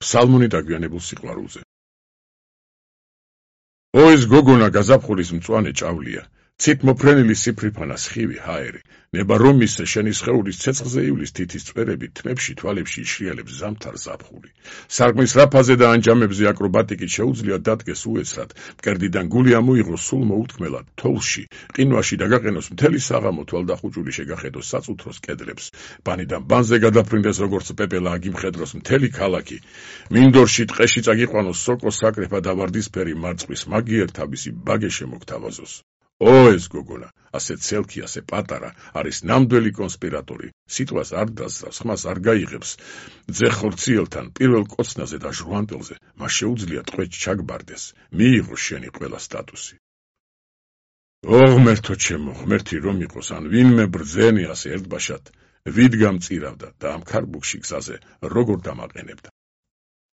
ფსალმუნი დაგვიანებულ სიყვარულზე. ო ეს გოგონა გაზაფხულის მწვანე ჭავლია, ცით მოფრენილი სიფრიფანა სხივი ჰაერი, ნება რომ მისცე შენი სხეულის ცეცხლზე ივლის თითის წვერები თმებში თვალებში იშრიალებს ზამთარ ზაფხული. სარკმლის რაფაზე და ანჯამებზე აკრობატიკით შეუძლია დადგეს უეცრად, მკერდიდან გული ამოიღოს სულ მოუთქმელად, თოვლში, ყინვაში დაგაყენოს მთელი საღამო თვალდახუჭული შეგახედოს საწუთროს კედლებს, ბანიდან ბანზე გადაფრინდეს როგორც პეპელა აგიმხედროს მთელი ქალაქი, მინდორში ტყეში წაგიყვანოს სოკოს საკრეფა და ვარდისფერი მარწყვის მაგიერ თაბისი ბაგე შემოგთავაზოს. ო ეს გოგონა, ასე ცელქი, ასე პატარა, არის ნამდვილი კონსპირატორი, სიტყვას არ დასწრავს, ხმას არ გაიღებს, ძე ხორციელთან, პირველ კოცნაზე და ჟვანტელზე, მას შეუძლია ტყვედ ჩაგბარდეს, მიიღოს შენი ყველა სტატუსი. ო ღმერთო ჩემო, ღმერთი რომ იყოს, ან ვინმე ბრძენი ასე ერთბაშად, ვით გამწირავდა და ამ ქარბუქში გზაზე როგორ დამაყენებდა.